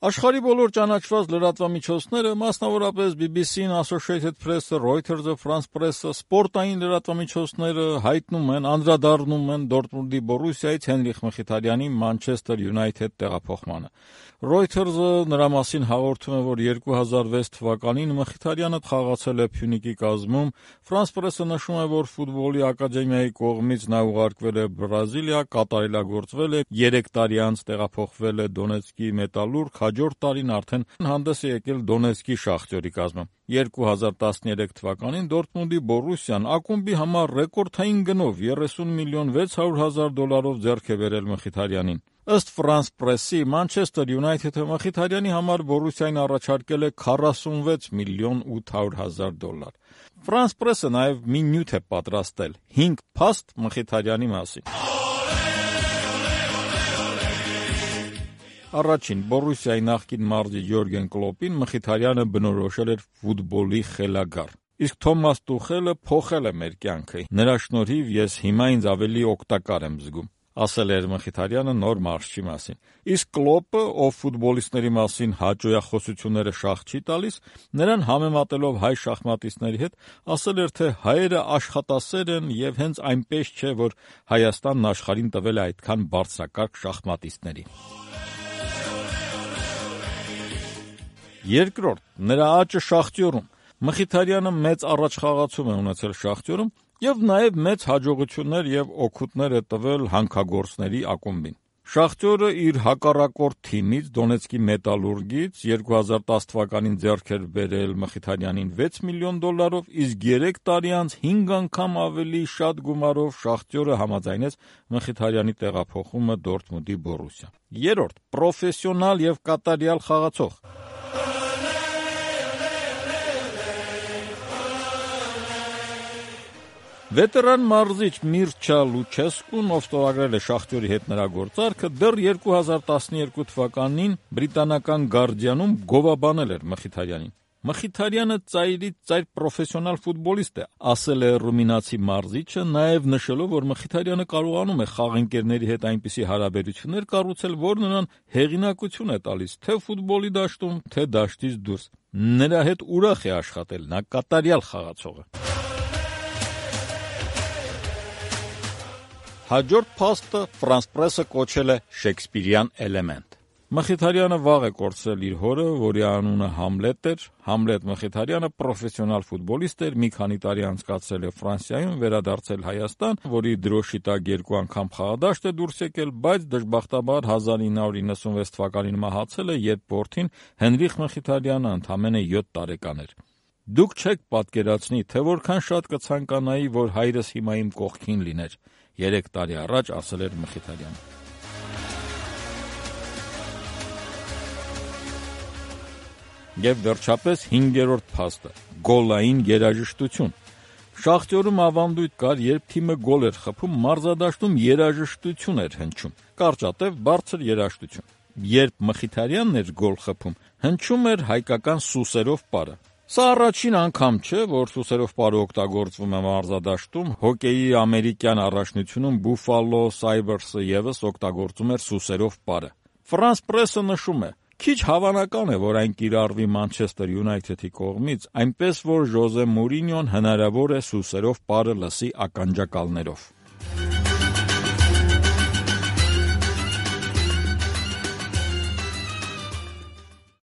Աշխարհի բոլոր ճանաչված լրատվամիջոցները, մասնավորապես BBC-ն, Associated Press-ը, Reuters-ը, France Press-ը, սպորտային լրատվամիջոցները հայտնում են, անդրադառնում են Դորտմունդի Բորուսիայից Հենրիխ Մխիթարյանի Manchester United տեղափոխմանը։ Reuters-ը նրա մասին հաղորդում է, որ 2006 թվականին Մխիթարյանը խաղացել է Փյունիկի կազմում, France Press-ը նշում է, որ ֆուտբոլի ակադեմիայի կողմից նա ուղարկվել է Բրազիլիա, կատարելագործվել է, 3 տարի անց տեղափոխվել է Դոնեցկի Մետալուրգ, հաջորդ տարին արդեն հանդես է եկել Դոնեցկի Շախտյորի կազմում։ 2013 թվականին Դորտմունդի Բորուսիան ակումբի համար ռեկորդային գնով $30,600,000 ձեռք է բերել Մխիթարյանին։ Ըստ France Press-ի, Manchester United-ը Մխիթարյանի համար Բորուսիային առաջարկել է $41,800,000։ France Press-ը նաև մի նյութ է պատրաստել 5 փաստ Մխիթարյանի մասին։ Առաջին Բորուսիայի նախկին մարզիչ Յորգեն Կլոպին Մխիթարյանը բնորոշել էր ֆուտբոլի խելագար։ Իսկ Թոմաս Տուխելը փոխել է մեր կյանքը։ Նրա շնորհիվ ես հիմա ինձ ավելի օգտակար եմ զգում, ասել էր Մխիթարյանը նոր մարզչի մասին։ Իսկ Կլոպը, ով ֆուտբոլիստների մասին հաճոյախոսությունները շահ չի տալիս, նրան համեմատելով հայ շախմատիստների հետ, ասել էր, թե հայերը աշխատասեր են եւ հենց այնպես չէ, որ Հայաստանն աշխարհին տվել է այդքան բարձրակարգ շախմատիստների։ Երկրորդ, նրա աճը Շախտյորում։ Մխիթարյանը մեծ առաջխաղացում է ունեցել Շախտյորում եւ նաեւ մեծ հաջողություններ եւ օգուտներ է տվել հանքագործների ակումբին։ Շախտյորը իր հակառակորդ թիմից Դոնեցկի Մետալուրգից 2010 թվականին ձեռք էր բերել Մխիթարյանին $6 միլիոն, իսկ 3 տարի անց 5 անգամ ավելի շատ գումարով Շախտյորը համաձայնեց Մխիթարյանի տեղափոխումը Դորտմունդի Բորուսիա։ Երրորդ, պրոֆեսիոնալ եւ կատարյալ խաղացող։ Վետերան մարզիչ Միրչա Լուչեսկուն, ով ստորագրել է Շախտյորի հետ նրա գործարքը, դեռ 2012 թվականին բրիտանական Guardian-ում գովաբանել էր Մխիթարյանին։ Մխիթարյանը ծայրից ծայր պրոֆեսիոնալ ֆուտբոլիստ է, ասել է ռումինացի մարզիչը, նաև նշելով, որ Մխիթարյանը կարողանում է խաղընկերների հետ այնպիսի հարաբերություններ կառուցել, որ նրան հեղինակություն է տալիս թե ֆուտբոլի դաշտում, թե դաշտից դուրս։ Նրա հետ ուրախ է աշխատել, նա կատարյալ խաղացող է։ Հաջորդ փաստը France Press-ը կոչել է Շեքսպիրյան էլեմենտ։ Մխիթարյանը վաղ է կորցրել իր հորը, որի անունը Համլետ էր։ Համլետ Մխիթարյանը պրոֆեսիոնալ ֆուտբոլիստ էր, մի քանի տարի անցկացրել է Ֆրանսիայում, վերադարձել Հայաստան, որի դրոշի տակ 2 անգամ խաղադաշտ է դուրս եկել, բայց դժբախտաբար 1996 թվականին մահացել է, երբ որդին Հենրիխ Մխիթարյանը ընդամենը 7 տարեկան էր։ Դուք չեք պատկերացնի, թե որքան շատ կցանկանայի, որ հայրս հիմա իմ կողքին լիներ, 3 տարի առաջ ասել էր Մխիթարյանը։ Եվ վերջապես 5-րդ փաստը՝ գոլային երաժշտություն։ Շախտյորում ավանդույթ կար, երբ թիմը գոլ էր խփում, մարզադաշտում երաժշտություն էր հնչում, կարճատև բարձր երաժշտություն։ Երբ Մխիթարյանն էր գոլ խփում, հնչում էր հայկական սուսերով պարը։ Սա առաջին անգամ չէ, որ սուսերով պարը օգտագործվում է մարզադաշտում, հոկեյի ամերիկյան առաջնությունում Buffalo Sabres-ը ևս օգտագործում էր սուսերով պարը։ France Press-ը նշում է. Քիչ հավանական է, որ այն կիրառվի Manchester United-ի կողմից, այնպես որ Ժոզե Մուրինյոն հնարավոր է սուսերով պարը լսի ականջակալներով։